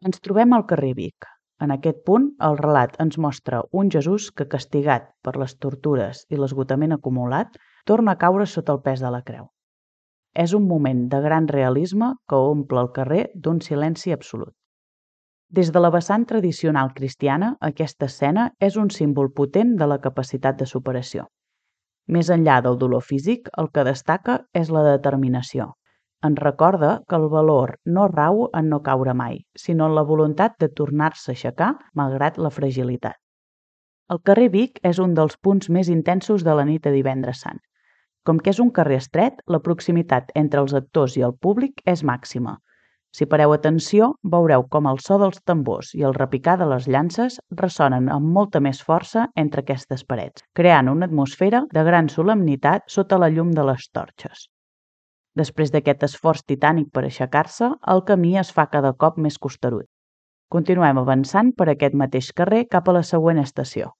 Ens trobem al carrer Vic. En aquest punt, el relat ens mostra un Jesús que, castigat per les tortures i l'esgotament acumulat, torna a caure sota el pes de la creu. És un moment de gran realisme que omple el carrer d'un silenci absolut. Des de la vessant tradicional cristiana, aquesta escena és un símbol potent de la capacitat de superació. Més enllà del dolor físic, el que destaca és la determinació. Ens recorda que el valor no rau en no caure mai, sinó en la voluntat de tornar-se a aixecar malgrat la fragilitat. El carrer Vic és un dels punts més intensos de la nit de Divendres Sant. Com que és un carrer estret, la proximitat entre els actors i el públic és màxima. Si pareu atenció, veureu com el so dels tambors i el repicar de les llances ressonen amb molta més força entre aquestes parets, creant una atmosfera de gran solemnitat sota la llum de les torxes. Després d'aquest esforç titànic per aixecar-se, el camí es fa cada cop més costerut. Continuem avançant per aquest mateix carrer cap a la següent estació.